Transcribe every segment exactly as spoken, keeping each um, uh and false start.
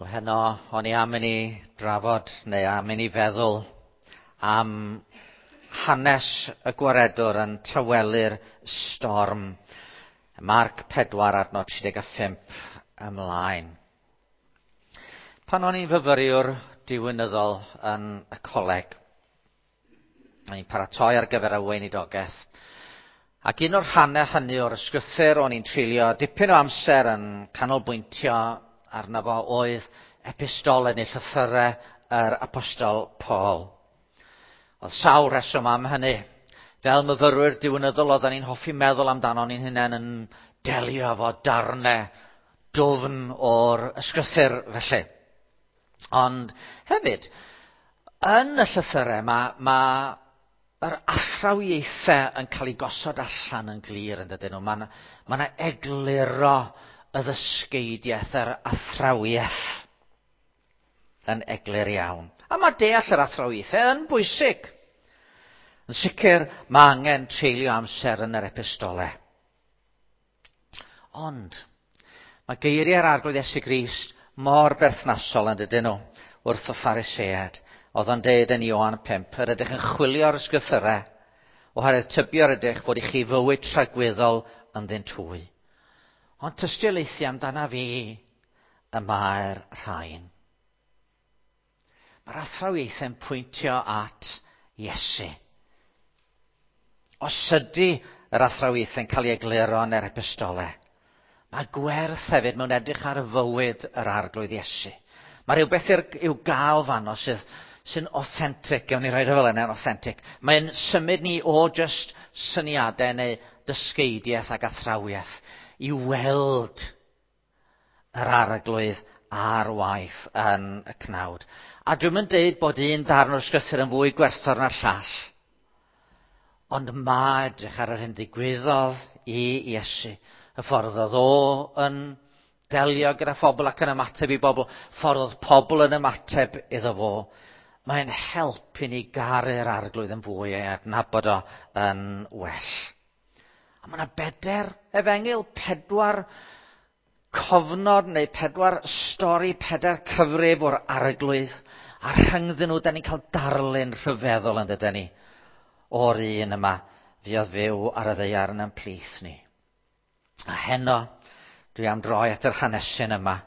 Wel heno, o'n i am i ni drafod neu am i ni feddwl am hanes y gwaredwr yn tawelu'r storm. Marc pedwar adnod tri deg a phump ymlaen. Pan o'n i'n fyfyriwr diwinyddol yn y coleg, o'n i'n paratoi ar gyfer y weinidogaeth, ac un o'r rhannau hynny o'r ysgrythur o'n i'n treulio dipyn o amser yn canolbwyntio arno fo oedd epistolau neu llythyrau yr apostol Paul. Oedd sawl rheswm am hynny. Fel myfyrwyr diwinyddol oedden ni'n hoffi meddwl amdano ni'n hunain yn delio efo darnau dwfn o'r ysgrythur felly. Ond hefyd, yn y llythyrau mae, ma yr athrawiaethau yn cael eu gosod allan yn glir yn dydyn nhw. Mae yna egluro y ddysgeidiaeth, yr athrawiaeth yn eglur iawn. A mae deall yr athrawiaethau yn bwysig. Yn sicr, mae angen treulio amser yn yr epistolau. Ond, mae geiriau'r Arglwydd Iesu Grist mor berthnasol yn dydyn nhw wrth y Phariseaid. Oedd o'n deud yn Ioan pump, yr ydych yn chwilio'r ysgrythyrau, oherwydd tybio yr ydych fod i chi fywyd tragwyddol ynddynt hwy. Ond tystiolaethu amdana fi y mae'r rhain. Mae'r athrawiaethau'n pwyntio at Iesu. Os ydy yr athrawiaethau'n cael ei egluro yn yr epistolau, mae gwerth hefyd mewn edrych ar fywyd yr Arglwydd Iesu. Mae rhywbeth i'w gael fanno sydd sy'n authentic, gawn ni roed o fel yna, yn authentic. Mae'n symud ni o just syniadau neu dysgeidiaeth ac athrawiaeth i weld yr Arglwydd ar waith yn y cnawd. A dwi'm yn deud bod un darn o'r ysgrythur yn fwy gwerthfawr na'r llall. Ond mae edrych ar yr hyn ddigwyddodd i Iesu. Y ffordd oedd o yn delio gyda phobl ac yn ymateb i bobl, ffordd oedd pobl yn ymateb iddo fo. Mae'n help i ni garu'r Arglwydd yn fwy a'i adnabod o yn well. A mae yna bedair efengyl, pedwar cofnod neu pedwar stori, pedair cyfrif o'r Arglwydd. A rhyngddyn nhw, da ni'n cael darlun rhyfeddol yn dydyn ni o'r un yma fuodd fyw ar y ddaear yn ein plith ni. A heno, dwi am droi at yr hanesyn yma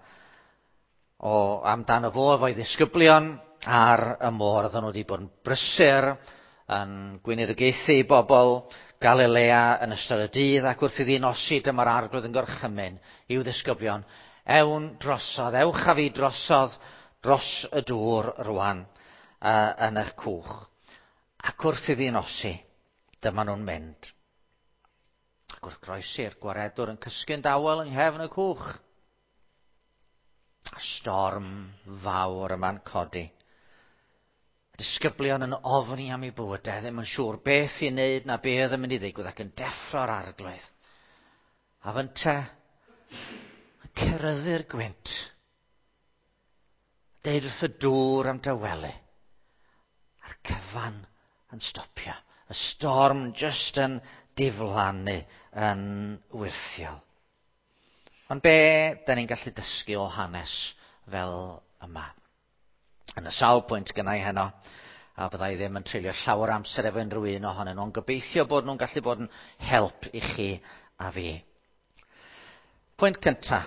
o amdano fo efo'i ddisgyblion ar y môr. Oedden nhw wedi bod yn brysur yn gweinidogaethu i bobl Galilea yn ystod y dydd, ac wrth iddi nosi dyma'r Arglwydd yn gorchymyn i'w ddisgyblion, ewn drosodd, ewch â fi drosodd dros y dŵr rwan uh, yn eich cwch. Ac wrth iddi nosi, dyma nhw'n mynd. Ac wrth groesi'r gwaredwr yn cysgu'n dawel yng nghefn y cwch. A storm fawr yma'n codi. Y disgyblion yn ofni am eu bywydau, ddim yn siŵr beth i wneud na beth yn mynd i ddigwydd, ac yn deffro'r Arglwydd. A fynte yn ceryddu'r gwynt. Deud wrth y dŵr am dawelu. A'r cyfan yn stopio. Y storm just yn diflannu yn wyrthiol. Ond be da ni'n gallu dysgu o hanes fel yma? Yn y sawl pwynt gynnau heno, a byddai ddim yn treulio llawer amser efo unrhyw un ohonyn nhw, ond gobeithio bod nhw'n gallu bod yn help i chi a fi. Pwynt cynta.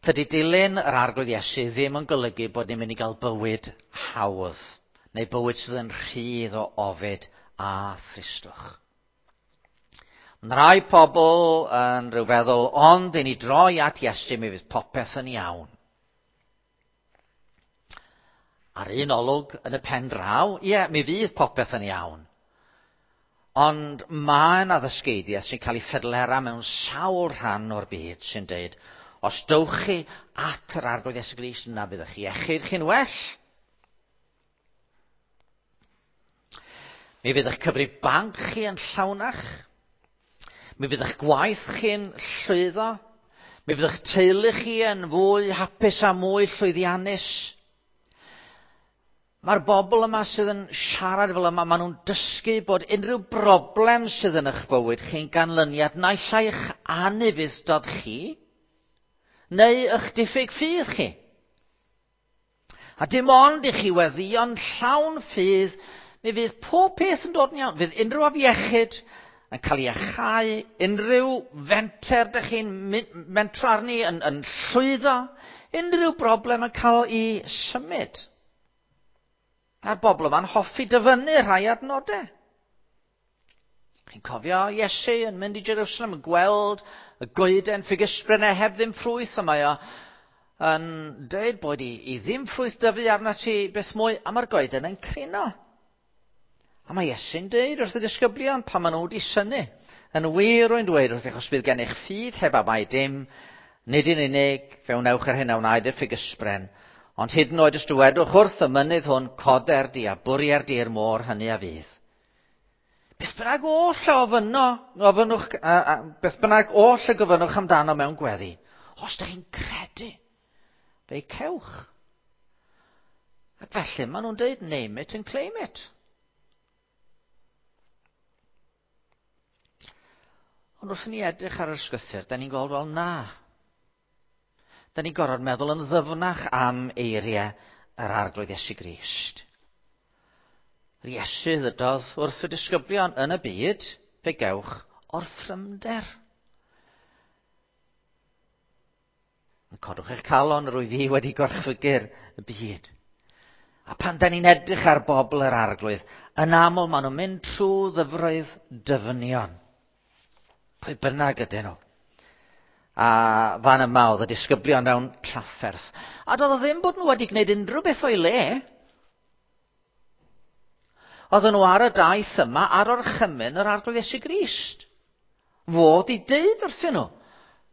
Tydi dilyn yr Arglwydd Iesu ddim yn golygu bod ni'n mynd i gael bywyd hawdd, neu bywyd sydd yn rhydd o ofid a thristwch. Mae rai pobl yn rhyw feddwl, ond i ni droi at Iesu, mi fydd popeth yn iawn. Ar un olwg yn y pen draw, ie, mi fydd popeth yn iawn. Ond mae yna ddysgeidiaeth sy'n cael ei ffedlera mewn sawl rhan o'r byd sy'n deud, os dowch chi at yr Arglwydd Iesu Grist, yna bydd eich iechyd chi'n well. Mi fydd eich cyfrif banc chi yn llawnach. Mi fydd eich gwaith chi'n llwyddo. Mi fydd eich teulu chi yn fwy hapus a mwy llwyddiannus. Mae'r bobl yma sydd yn siarad fel yma, maen nhw'n dysgu bod unrhyw broblem sydd yn eich bywyd chi'n ganlyniad naill ai eich anufudd-dod chi, neu eich diffyg ffydd chi. A dim ond i chi weddïo'n llawn ffydd, mi fydd pob peth yn dod yn iawn. Fydd unrhyw afiechyd yn cael ei achau, unrhyw fenter dych chi'n mentro arni yn, yn llwyddo, unrhyw broblem yn cael ei symud. A'r bobl yma'n hoffi dyfynnu rhai adnodau. Chi'n cofio Iesu yn mynd i Jerusalem yn gweld y goeden ffigysbren heb ddim ffrwyth, a mae o yn dweud bod i, i ddim ffrwyth dyfu arna ti beth mwy, a mae'r goeden yn crino. A mae Iesu'n dweud wrth y disgyblion pan maen nhw wedi synnu. Yn wir rwy'n dweud wrth eich os bydd gennych ffydd heb amau dim, nid yn unig fe wnewch yr hyn a wnaed i'r ffigysbren, ond hyd yn oed os dywedwch wrth y mynydd hwn, coder di a bwrier di i'r môr, hynny a fydd. Beth bynnag oll a ofynno, ofynnwch, a, a, beth bynnag oll y gofynnwch amdano mewn gweddi, os ydych chi'n credu, fe'i cewch. Ac felly maen nhw'n dweud, name it and claim it. Ond wrth i ni edrych ar yr ysgrythur, da ni'n gweld, wel na. Da ni'n gorfod meddwl yn ddyfnach am eiriau yr Arglwydd Iesu Grist. Yr Iesu ddydodd wrth y disgyblion yn y byd, fe gewch orthrymder. Codwch eich calon, rwy fi wedi gorchfygu'r y byd. A pan da ni'n edrych ar bobl yr Arglwydd, yn aml maen nhw'n mynd trwy ddyfroedd dyfnion. Pwy bynnag ydyn nhw. A fan yma oedd y disgyblion mewn trafferth. A doedd o ddim bod nhw wedi gwneud unrhyw beth o'i le. Oedden nhw ar y daith yma ar orchymyn yr Arglwydd Iesu Grist. Fod i deud wrthyn nhw,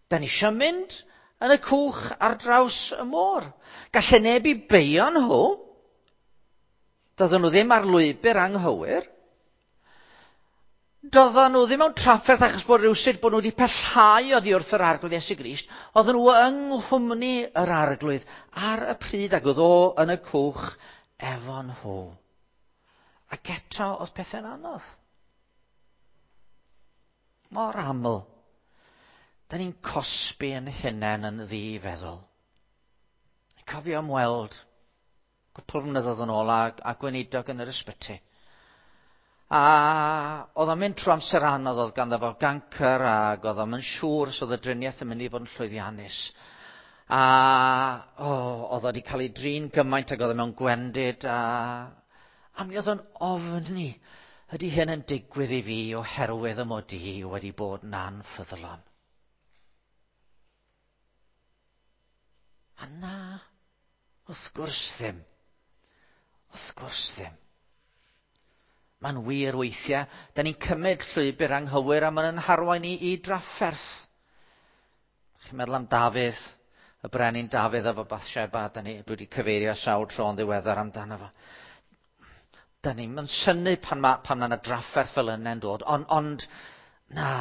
da ni eisiau mynd yn y cwch ar draws y môr. Gallai neb i beio nhw. Doedden nhw ddim ar lwybr anghywir. Doedden nhw ddim mewn trafferth achos bod rhywsut bod nhw wedi pellhau oddi wrth yr Arglwydd Iesu Grist. Oedden nhw yng nghwmni yr Arglwydd ar y pryd ac oedd o yn y cwch efo nhw. Ac eto oedd pethau'n anodd. Mor aml, da ni'n cosbi yn hunain yn ddifeddwl. Cofio ymweld cwpl flynyddoedd yn ôl a, a gweinidog yn yr ysbyty. A oedd o'n mynd trwy amser anodd, oedd ganddo fo gancr ac oedd o'n siŵr os oedd y driniaeth yn mynd i fod yn llwyddiannus. A oh, oedd o wedi cael ei drin gymaint ac oedd o mewn gwendid a, a mi oedd o'n ofni, ydy hyn yn digwydd i fi oherwydd y mod i wedi bod yn anffyddlon. A na, wrth gwrs ddim. Wrth gwrs ddim. Mae'n wir weithiau, da ni'n cymryd llwybr anghywir a mae'n harwain ni i drafferth. Chi'n meddwl am Dafydd, y brenin Dafydd efo Bathsheba, da ni, dwi wedi cyfeirio sawl tro yn ddiweddar amdano fo. Da ni'n mynd synnu pan mae pan ma yna drafferth fel yna'n dod, ond, ond na.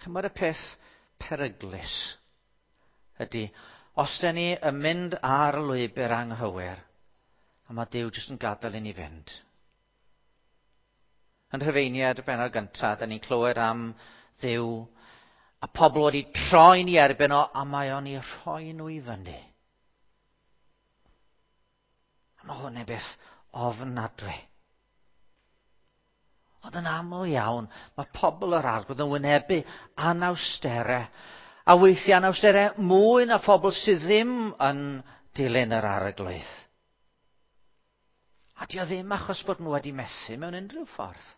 Chi'n meddwl y peth peryglus ydy, os da ni yn mynd ar y lwybr anghywir, a mae Duw jyst yn gadael i ni fynd. Yn Rhufeiniad y bennod gyntaf, da ni'n clywed am Dduw, a pobl wedi troi'n ei erbyn o, a mae o'n ei rhoi nhw i fyny. A mae hwn yn beth ofnadwy. Ond yn aml iawn, mae pobl yr Arglwydd yn wynebu anawsterau, a weithiau anawsterau mwy na phobl sydd ddim yn dilyn yr Arglwydd. A dio ddim achos bod nhw wedi methu mewn unrhyw ffordd.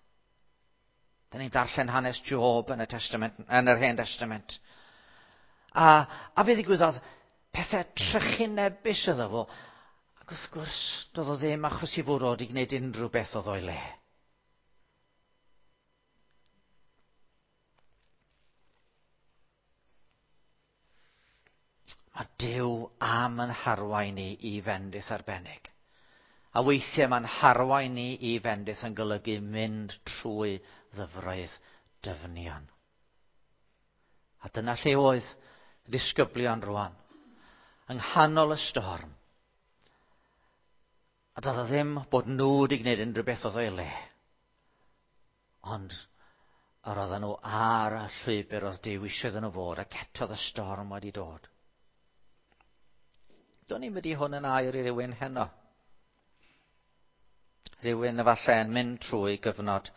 Da ni'n darllen hanes Job yn y Testament, yn yr Hen Testament. A, a fe ddigwyddodd pethau trychinebus iddo fo. Ac wrth gwrs, doedd o ddim achos i fod o wedi gwneud unrhyw beth oedd o'i le. Mae Duw am yn harwain ni i fendith arbennig. A weithiau mae'n harwain ni i fendith yn golygu mynd trwy ddyfroedd dyfnion. A dyna lle oedd disgyblion rwan, yng nghanol y storm. A doedd o ddim bod nhw wedi gwneud unrhyw beth oedd o'i le. Ond Yr oedden nhw ar y llwybr oedd Duw eisiau iddyn nhw fod, ac eto y storm wedi dod. Do'n i'n mynd i hwn yn air i rywun heno. Rhywun efallai yn mynd trwy gyfnod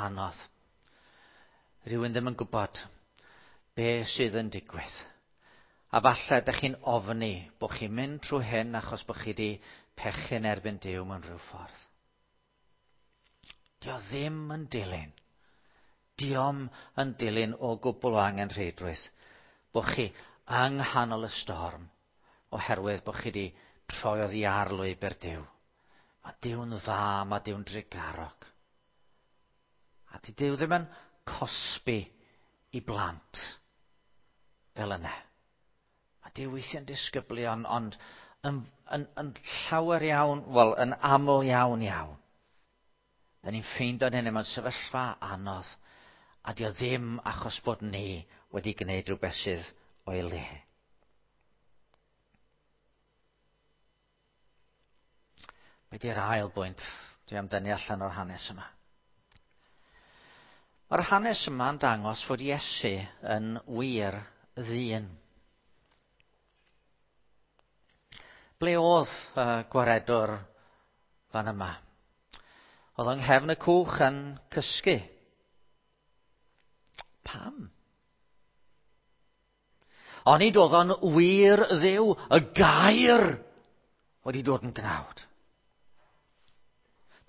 anodd. Rhywun ddim yn gwybod be sydd yn digwydd. A falle ydych chi'n ofni bod chi'n mynd trwy hyn achos bod chi wedi pechu'n erbyn Duw mewn rhyw ffordd. Dio ddim yn dilyn. Dio'm yn dilyn o gwbl o angenrheidrwydd bod chi yng nghanol y storm oherwydd bod chi wedi troi oddi ar lwybr Duw. Mae Duw'n dda, mae Duw'n drugarog. A di Duw ddim yn cosbi i blant fel yna. Mae Duw weithiau'n disgyblion, ond yn, yn, yn llawer iawn, wel, yn aml iawn iawn. Da ni'n ffeindio hynny mewn sefyllfa anodd, a dio ddim achos bod ni wedi gwneud rhywbeth sydd o'i le. Be di'r ail bwynt dwi am dynnu allan o'r hanes yma? Mae'r hanes yma'n dangos fod Iesu yn wir ddyn. Ble oedd y gwaredwr fan yma? Oedd yng nghefn y cwch yn cysgu. Pam? Onid oedd o'n wir Dduw, y gair wedi dod yn gnawd.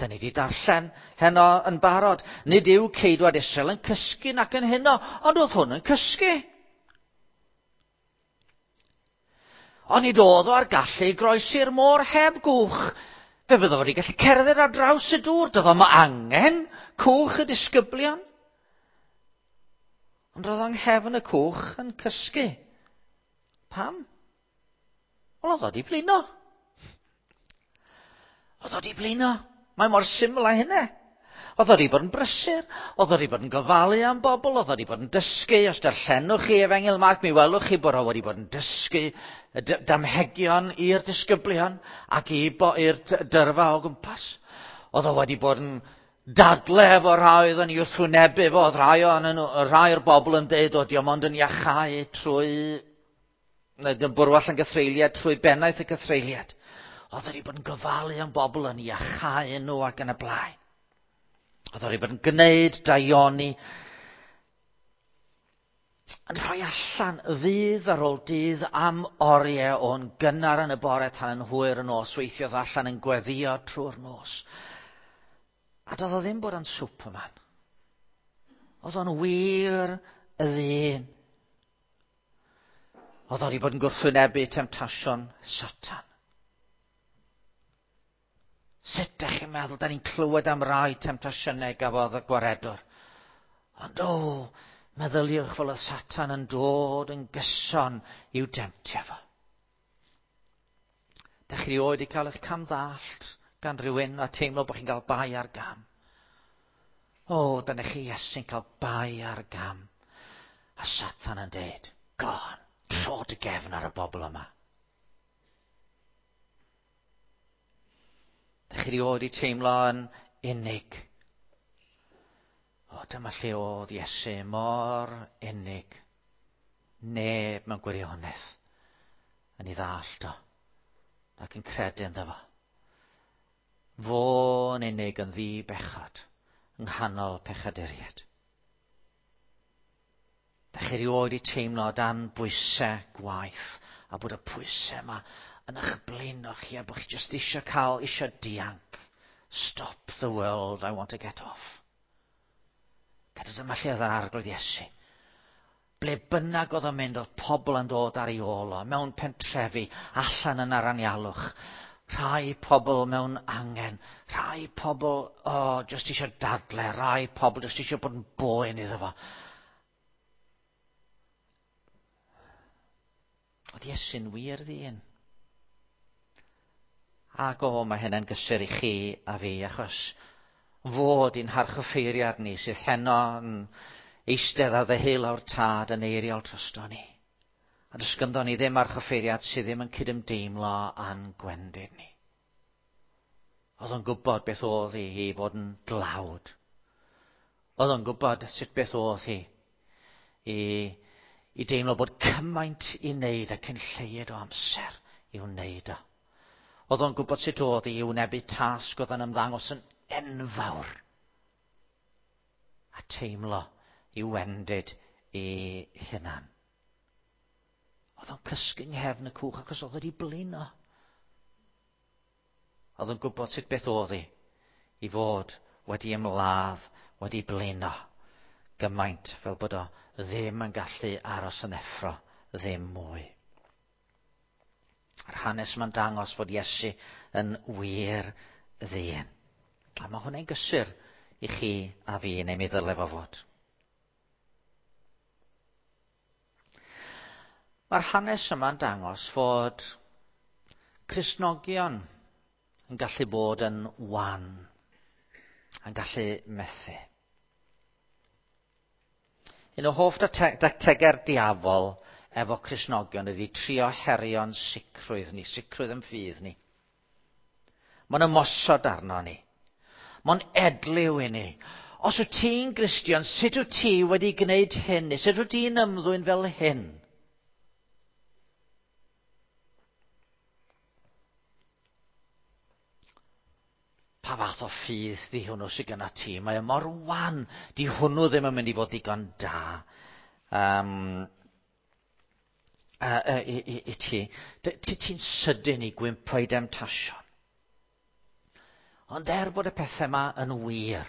Da ni wedi darllen heno yn barod. Nid yw ceidwad Israel yn cysgu nac yn heno, ond oedd hwn yn cysgu. Onid oedd o ar gallu groesi'r môr heb gwch. Fe fyddo wedi gallu cerdded ar draws y dŵr. Doedd o'm angen cwch y disgyblion. Ond roedd o'n nghefn y cwch yn cysgu. Pam? Wel, oedd o wedi blino. Oedd o wedi blino. Mae mor syml â hynna. Oedd o wedi bod yn brysur, oedd o wedi bod yn gofalu am bobl, oedd o wedi bod yn dysgu. Os darllenwch chi Efengyl Marc, mi welwch chi bod o wedi bod yn dysgu damhegion i'r disgyblion ac i'r dyrfa o gwmpas. Oedd o wedi bod yn dadle efo rhai oedd yn ei wrthwynebu fo, oedd rhai, o'n, rhai o'r bobl yn deud o dio ond yn iachau trwy, neu bwrw allan gythreuliad trwy bennaeth y cythreuliad. Oedd wedi bod yn gofalu am bobl yn iachau nhw ac yn y blaen. Oedd wedi bod yn gwneud daioni, yn rhoi allan ddydd ar ôl dydd am oriau o'n gynnar yn y bore tan yn hwyr y nos, weithiodd allan yn gweddio trwy'r nos. A doedd o ddim bod yn Superman. Oedd o'n wir y ddyn. Oedd o wedi bod yn gwrthwynebu temtasiwn Satan. Sut ydych chi'n meddwl, da ni'n clywed am rai temtasiynau gafodd y gwaredwr. Ond o, meddyliwch fel oedd Satan yn dod yn gyson i'w demtio fo. Dych chi erioed wedi cael eich camddallt gan rhywun a teimlo bod chi'n cael bai ar gam. O, dyna chi Iesu'n cael bai ar gam. A Satan yn deud, go on, tro dy gefn ar y bobl yma. Dych chi erioed wedi teimlo yn unig. O, dyma lle oedd Iesu mor unig. Neb mewn gwirionedd yn ei ddallt o, ac yn credu ynddo fo. Fo'n unig yn ddi-bechod, yng nghanol pechaduriaid. Dych chi erioed wedi teimlo dan bwysau gwaith, a bod y pwysau yma yn eich blino chi, a bod chi jyst eisiau cael, eisiau dianc. Stop the world, I want to get off. Gyda dyma lle oedd yr Arglwydd Iesu. Ble bynnag oedd o'n mynd, oedd pobl yn dod ar ei ôl o, mewn pentrefi, allan yn aranialwch. Rhai pobl mewn angen, rhai pobl, oh, jyst eisiau dadle, rhai pobl jyst eisiau bod yn boen iddo fo. Oedd Iesu'n wir ddyn. Ac o, mae hynny'n gysur i chi a fi, achos fod i'n harchoffeiriad ni sydd heno yn eistedd ar ddeheulaw'r tad yn eiriol drosto ni. A does ganddo ni ddim archoffeiriad sydd ddim yn cydymdeimlo â'n gwendid ni. Oedd o'n gwybod beth oedd hi i fod yn dlawd. Oedd o'n gwybod sut beth oedd hi i, i deimlo bod cymaint i wneud a cyn lleied o amser i wneud o. Oedd o'n gwybod sut oedd hi i wynebu tasg oedd yn ymddangos yn enfawr a teimlo i wendid i hunan. Oedd o'n cysgu yng nghefn y cwch achos oedd wedi blino. Oedd o'n gwybod sut beth oedd hi i fod wedi ymladd, wedi blino gymaint fel bod o ddim yn gallu aros yn effro, ddim mwy. A'r hanes ma'n dangos fod Iesu yn wir ddyn. A mae hwnna'n gysur i chi a fi, neu mi ddyle fo fod. Mae'r hanes yma'n dangos fod Cristnogion yn gallu bod yn wan, yn gallu methu. Un o hoff dactegau'r diafol efo Cristnogion ydy trio herio'n sicrwydd ni, sicrwydd yn ffydd ni. Mae'n ymosod arno ni. Mae'n edliw i ni. Os wyt ti'n Gristion, sut wyt ti wedi gwneud hyn? Neu sut wyt ti'n ymddwyn fel hyn? Pa fath o ffydd di hwnnw sydd gyda ti? Mae o mor wan. Di hwnnw ddim yn mynd i fod digon da um, uh, uh, i, i, i ti. Ti ti'n sydyn i gwympo i demtasiwn. Ond er bod y pethau yma yn wir,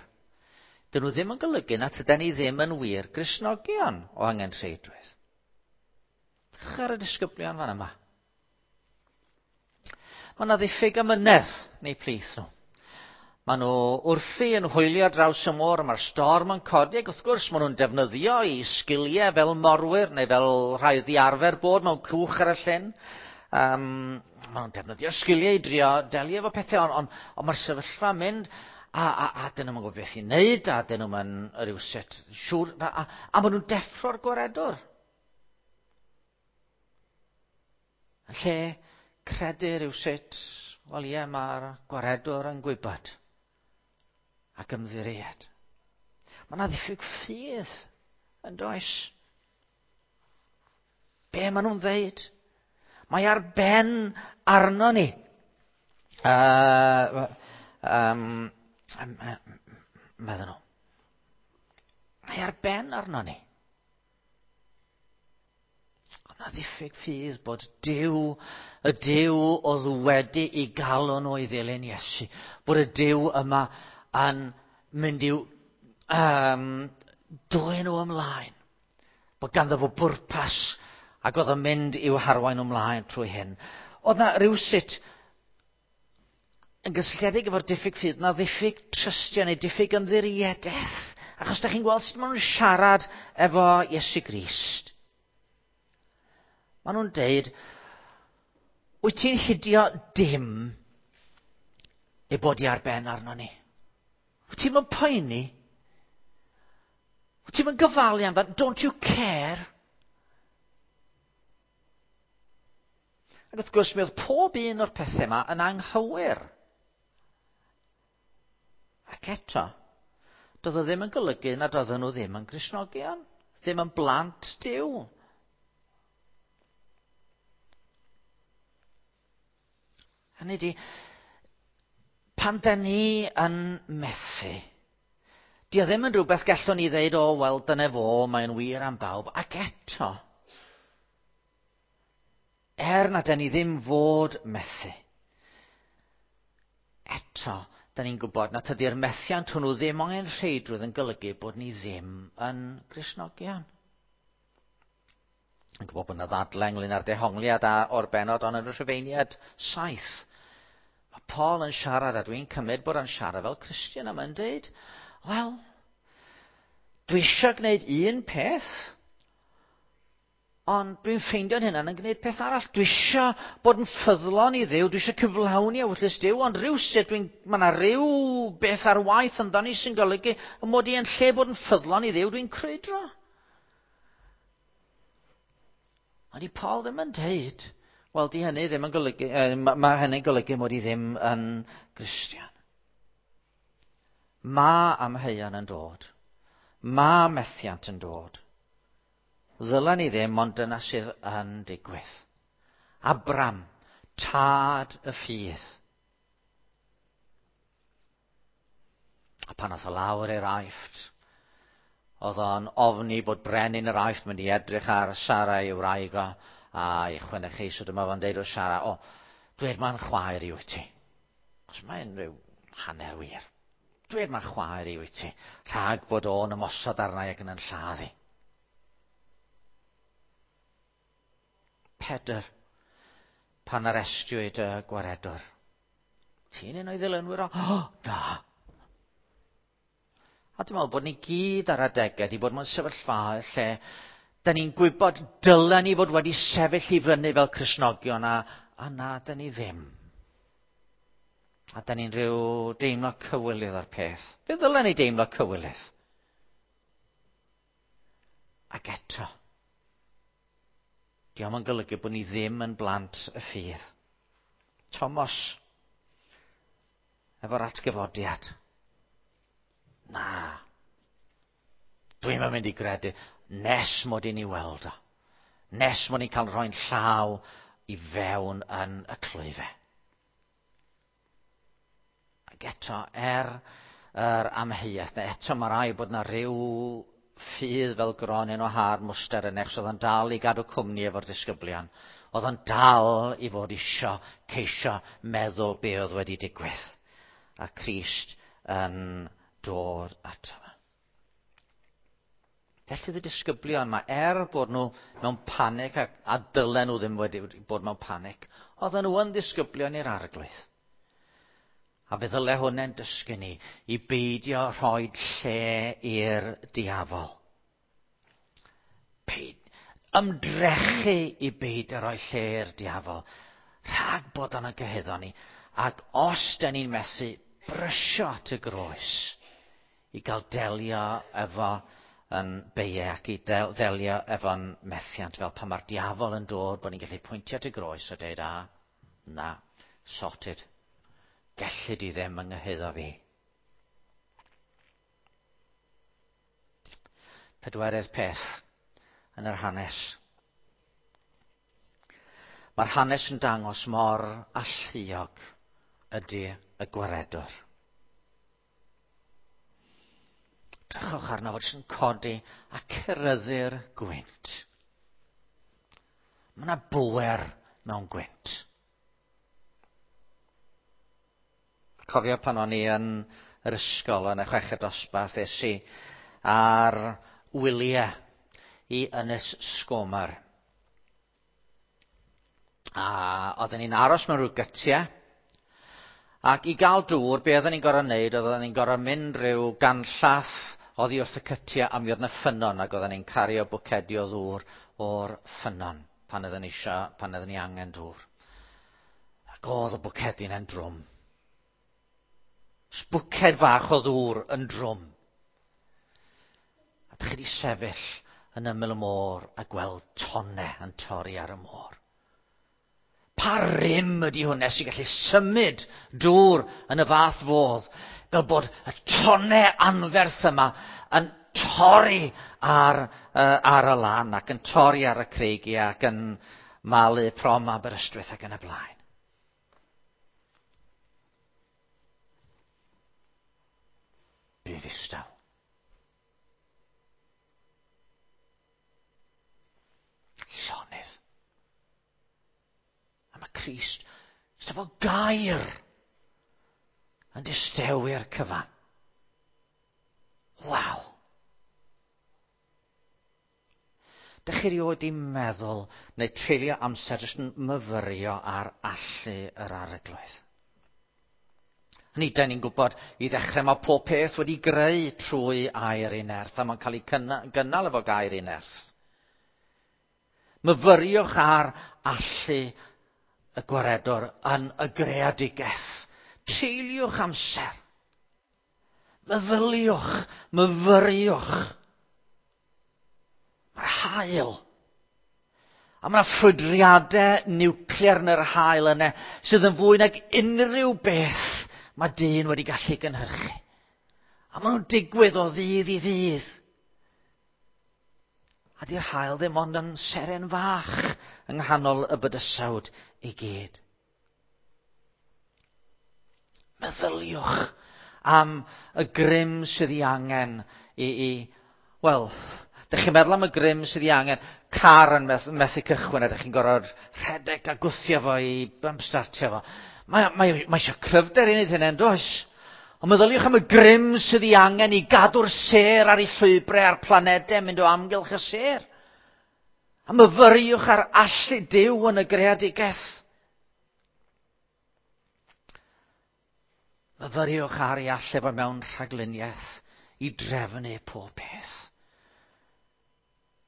dyn nhw ddim yn golygu na tydan ni ddim yn wir Gristnogion o angenrheidrwydd. Dych ar y disgyblion fan yma. Mae yna ddiffyg amynedd neu plith nhw. Maen nhw wrthi yn hwylio draws y môr, mae'r storm yn codi, ac wrth gwrs maen nhw'n defnyddio i sgiliau fel morwyr neu fel rhai ddiarfer bod mewn cwch ar y llyn. Um, maen nhw'n defnyddio sgiliau i drio delio efo pethau, ond on, on mae'r sefyllfa yn mynd, a, a, a dyn nhw'n gwybod beth i wneud, a dyn nhw'n rhywsut siŵr, a, a, a maen nhw'n deffro'r gwaredwr. Yn lle credu rhywsut, wel ie, mae'r gwaredwr yn gwybod ac ymddiried. Mae yna ddiffyg ffydd yn does. Be maen nhw'n ddeud? Mae ar ben arno ni. Uh, um, um, meddyn nhw. Mae ar ben arno ni. Ond na ddiffyg ffydd bod Duw, y Duw oedd wedi i galw nhw i ddilyn Iesu, bod y Duw yma yn mynd i'w um, dwyn nhw ymlaen. Bod ganddo fo bwrpas ac oedd yn mynd i'w harwain ymlaen trwy hyn. Oedd na rhywsut yn gysylltiedig efo'r diffyg ffydd, na ddiffyg trystio neu diffyg ymddiriedaeth. Achos da chi'n gweld sut maen nhw'n siarad efo Iesu Grist. Maen nhw'n deud, wyt ti'n hidio dim ei bod i ar ben arno ni? Wyt ti'n mynd poeni? Wyt ti'n mynd gyfalu amdano? Don't you care? Ac wrth gwrs, mi oedd pob un o'r pethau yma yn anghywir. Ac eto, doedd o ddim yn golygu nad oedden nhw ddim yn Gristnogion, ddim yn blant Duw. Hynny ydi, pan da ni yn methu, di o ddim yn rhywbeth gallwn ni ddeud, o, wel, dyna fo, mae'n wir am bawb. Ac eto, er na da ni ddim fod methu, eto, da ni'n gwybod na tydi'r methiant hwnnw ddim angen rheidrwydd yn golygu bod ni ddim yn Gristnogion. Yn gwybod bod yna ddadle ynglyn â'r dehongliad a o'r bennod ond yn y Rhufeiniad saith. Mae Paul yn siarad, a dwi'n cymryd bod o'n siarad fel Cristion, a mae'n dweud, wel, dwi eisiau gwneud un peth, ond dwi'n ffeindio'n hunan yn gwneud peth arall. Dwi eisiau bod yn ffyddlon i Dduw, dwi eisiau cyflawni ewyllys Duw, ond rhywsut dwi'n, mae yna ryw beth ar waith ynddo ni sy'n golygu y mod i yn lle bod yn ffyddlon i Dduw, dwi'n crwydro. Ond i Paul ddim yn dweud, wel, di hynny ddim yn golygu, eh, mae hynny'n golygu mod i ddim yn Gristion. Mae amheuon yn dod. Mae methiant yn dod. Ddylen ni ddim, ond dyna sydd yn digwydd. Abram, tad y ffydd. A pan oedd o lawr i'r Aifft, oedd o'n ofni bod brenin yr Aifft mynd i edrych ar Sara ei wraig o, a i chwenychu, so dyma fo'n deud wrth Sara, o, dwed ma'n chwaer i wyt ti. Os mae'n rhyw hanner wir. Dwed ma'n chwaer i wyt ti, rhag bod o'n ymosod arna i ac yn yn lladd i. Pedr, pan arestiwyd y gwaredwr. Ti'n un o'i ddilynwyr o? O, na. A dwi'n meddwl bod ni gyd ar adegau wedi bod mewn sefyllfaoedd lle da ni'n gwybod dylen ni fod wedi sefyll i fyny fel Cristnogion a, a na, da ni ddim. A da ni'n rhyw deimlo cywilydd o'r peth. Fe ddylen ni deimlo cywilydd? Ac eto, dio'm yn golygu bod ni ddim yn blant y ffydd. Thomas, efo'r atgyfodiad. Na, dwi'm yn mynd i gredu nes mod i'n ei weld o. Nes mod i'n cael rhoi'n llaw i fewn yn y clwyfe. Ac eto, er yr amheuaeth, neu eto mae rai bod na ryw ffydd fel gronyn o har mwster yn eich, oedd o'n dal i gadw cwmni efo'r disgyblion. Oedd o'n dal i fod isio ceisio meddwl be oedd wedi digwydd. A Crist yn dod ato fo. Felly y disgyblion yma, er bod nhw mewn panic a, a dylen nhw ddim wedi bod mewn panic, oedden nhw yn ddisgyblion i'r Arglwydd. A fe ddyle hwnna'n dysgu ni i beidio rhoi lle i'r diafol. Peid, ymdrechu i beidio rhoi lle i'r diafol. Rhag bod o'n gyhuddo ni. Ac os da ni'n methu, brysio at y groes i gael delio efo yn beiau ac i del, delio efo'n methiant, fel pan mae'r diafol yn dod bod ni'n gallu pwyntio at y groes a dweud, a, na, sorted. Gelli di ddim yng nghyhuddo fi. Pedwerydd peth yn yr hanes. Mae'r hanes yn dangos mor alluog ydy y gwaredwr. Drychwch arno fod sy'n codi a ceryddu'r gwynt. Mae yna bwer mewn gwynt. Cofio pan o'n i yn yr ysgol yn y chweched dosbarth, es i ar wyliau i Ynys Sgomer. A oedden ni'n aros mewn rhyw gytiau. Ac i gael dŵr, be oedden ni'n gorfod wneud, oedden ni'n gorfod mynd rhyw ganllath oddi wrth y cytiau a mi oedd yna ffynnon, ac oedden ni'n cario bwcedi o ddŵr o'r ffynnon pan oedden ni isio, pan oedden ni angen dŵr. Ac oedd y bwcedi yna'n drwm. Bwced fach o ddŵr yn drwm. A dych chi wedi sefyll yn ymyl y môr a gweld tonnau yn torri ar y môr. Pa rym ydy hwnna sy'n gallu symud dŵr yn y fath fodd, fel bod y tonnau anferth yma yn torri ar, uh, ar y lan ac yn torri ar y creigiau ac yn malu prom Aberystwyth ac yn y blaen. Bydd ddistaw. Llonydd. A mae Crist, jyst efo gair, yn distewi'r cyfan. Waw! Dych chi erioed 'di meddwl neu treulio amser jyst yn myfyrio ar allu yr Arglwydd? Ni, da ni'n gwybod i ddechrau mae pob peth wedi greu trwy air ei nerth, a mae'n cael ei gynnal efo gair ei nerth. Myfyriwch ar allu y gwaredwr yn y greadigaeth. Treuliwch amser. Meddyliwch, myfyriwch. Mae'r haul. A mae yna ffrwydriadau niwclear yn yr haul yna sydd yn fwy nag unrhyw beth mae dyn wedi gallu gynhyrchu. A maen nhw'n digwydd o ddydd i ddydd. A di'r haul ddim ond yn seren fach yng nghanol y bydysawd i gyd. Meddyliwch am y grym sydd ei angen i, i wel, dych chi'n meddwl am y grym sydd ei angen, car yn methu, methu cychwyn a dych chi'n gorfod rhedeg a gwthio fo i bump-startio fo. Mae, mae, mae eisiau cryfder i wneud hynny, yn does? Ond meddyliwch am y grym sydd ei angen i gadw'r sêr ar ei llwybrau a'r planedau mynd o amgylch y sêr. A myfyriwch ar allu Duw yn y greadigaeth. Myfyriwch ar ei allu fo mewn rhagluniaeth i drefnu pob peth.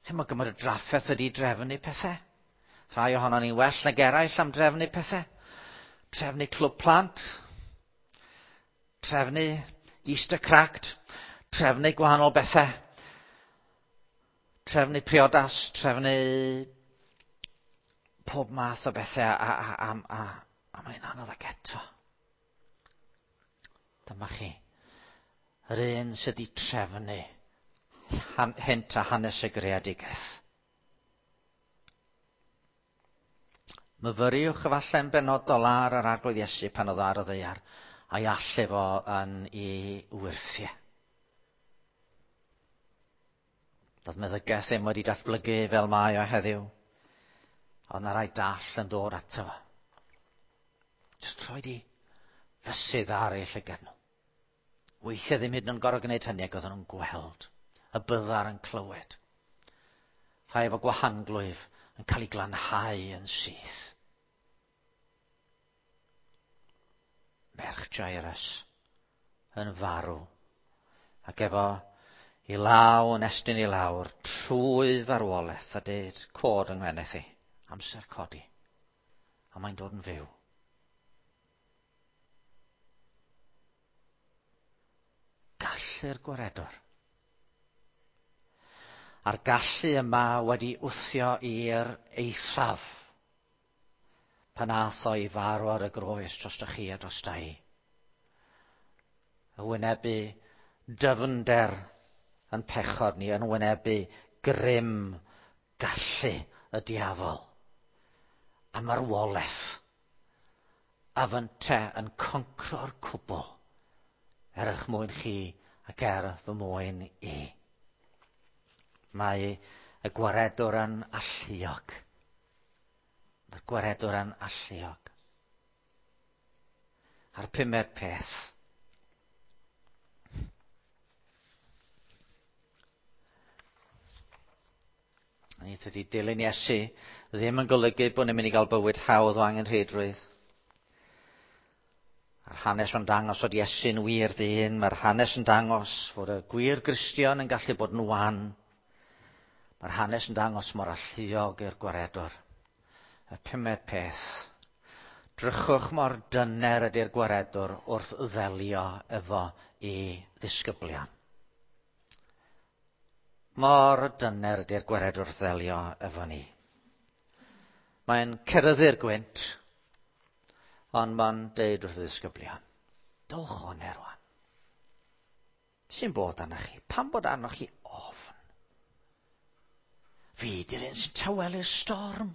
Chi'n meddwl gymaint o drafferth ydi drefnu pethau? Rhai ohonon ni'n well nag eraill am drefnu pethau. Trefnu clwb plant, trefnu Easter cracked, trefnu gwahanol bethau, trefnu priodas, trefnu pob math o bethau, a, a, a, a, a mae'n anodd ac eto. Dyma chi, yr un sydd wedi trefnu hynt a hanes y greadigaeth. Myfyriwch efallai'n benodol ar yr Arglwydd Iesu pan oedd ar y ddaear, a'i allu fo yn ei wyrthiau. Doedd meddygaeth ddim wedi datblygu fel mae o heddiw, ond na rai dall yn dod ato fo. Jyst troi di fysydd ar ei llygad nhw. Weithiau ddim hyd yn oed yn gorfod gwneud hynny, ac oedden nhw'n gweld y byddar yn clywed. Rhai efo gwahanglwyf yn cael ei glanhau yn syth. Merch Jairus yn farw, ac efo i law yn estyn i lawr trwy farwolaeth a deud cod yng ngweneth i, amser codi, a mae'n dod yn fyw. Gallu'r gwaredwr. A'r gallu yma wedi wthio i'r eithaf pan ath o i farw ar y groes drostoch chi a drosta i. Y wynebu dyfnder yn pechod ni, yn wynebu grym gallu y diafol a marwolaeth, a fynte yn concro'r cwbl er eich mwyn chi ac er fy mwyn i. Mae y gwaredwr yn alluog. Mae'r gwaredwr yn alluog. A'r pumed peth. Ni tydi dilyn Iesu ddim yn golygu bod ni'n mynd i gael bywyd hawdd o angenrheidrwydd. A'r hanes yn dangos fod Iesu'n wir ddyn. Mae'r hanes yn dangos fod y gwir Gristion yn gallu bod yn wan. Mae'r hanes yn dangos mor alluog i'r gwaredwr. Y pumed peth. Drychwch mor dyner ydy'r gwaredwr wrth ddelio efo i ddisgyblion. Mor dyner ydy'r gwaredwr wrth ddelio efo ni. Mae'n ceryddu'r gwynt, ond mae'n deud wrth y ddisgyblion, dowch o'n erwan. Sy'n bod arnoch chi? Pam bod arnoch chi ofn? Fi di'r un sy'n tawelu'r storm.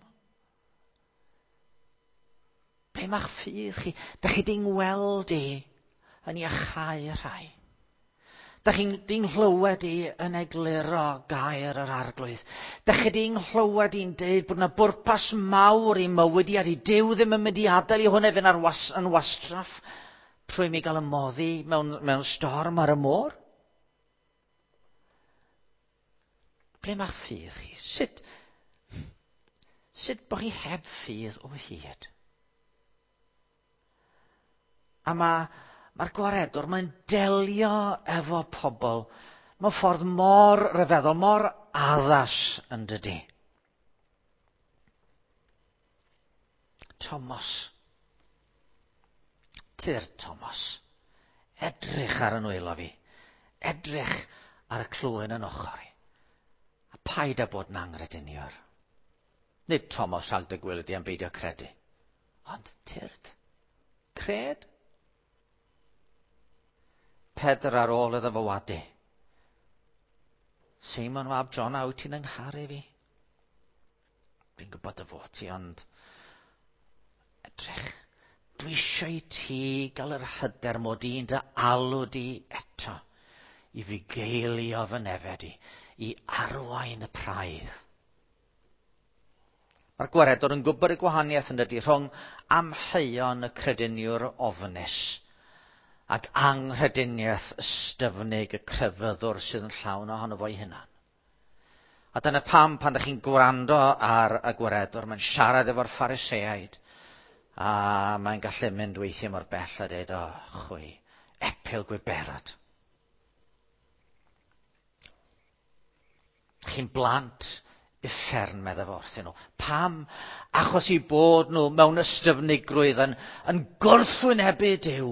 Ble mae'ch ffydd chi? Dach chi di'n ngweld i yn iachau y rhai. Dach chi'n di'n nghlywed i yn egluro gair yr Arglwydd. Dach chi di'n nghlywed i'n deud bod yna bwrpas mawr i mywyd i, a di Duw ddim yn mynd i adael i hwnna fynd ar was, yn wastraff trwy mi gael ymoddi mewn, mewn storm ar y môr. Ble mae'ch ffydd chi? Sut, sut bod chi heb ffydd o hyd? A mae, mae'r gwaredwr, mae'n delio efo pobl mewn ffordd mor ryfeddol, mor addas yn dydi. Thomas. Tyr Thomas. Edrych ar y nwylo fi. Edrych ar y clwyn yn ochr i. A paid â bod yn angrediniwr. Nid Thomas rhag dy gwylio di am beidio credu. Ond tyrd. Cred. Pedr ar ôl iddo fo wadu. Seimon fab Jona, wyt ti'n yngharu fi? Dwi'n gwybod dy fod ti, ond edrych, dwi eisiau i ti gael yr hyder mod i'n dy alw di eto i fugeilio fy nefed i, i arwain y praidd. Mae'r gwaredwr yn gwybod y gwahaniaeth yn dydi rhwng amheuon y crediniwr ofnus ac anghrediniaeth ystyfnig y crefyddwr sydd yn llawn ohono fo'i hunan. A dyna pam pan ydych chi'n gwrando ar y gwaredwr, mae'n siarad efo'r Phariseaid, a mae'n gallu mynd weithiau mor bell a dweud, o, chwi, epil gwiberod. Chi'n blant uffern, meddai fo wrthyn nhw. Pam? Achos i bod nhw mewn ystyfnigrwydd yn, yn gwrthwynebu Duw.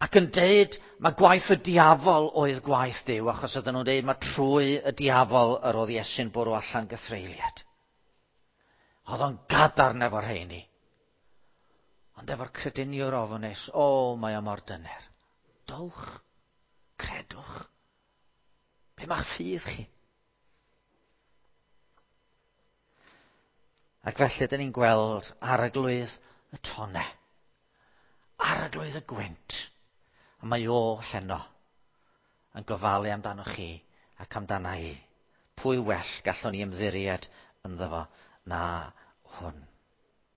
Ac yn deud mae gwaith y diafol oedd gwaith Duw, achos oedden nhw'n deud mae trwy y diafol yr oedd Iesu'n bwrw allan gythreuliad. Oedd o'n gadarn efo'r rheini. Ond efo'r crediniwr ofnus, o, mae o mor dyner. Dowch, credwch. Be mae'ch ffydd chi? Ac felly, dyn ni'n gweld arglwydd y tone, arglwydd y gwynt. A mae o heno yn gofalu amdano chi ac amdana i. Pwy well gallwn ni ymddiried ynddo fo na hwn.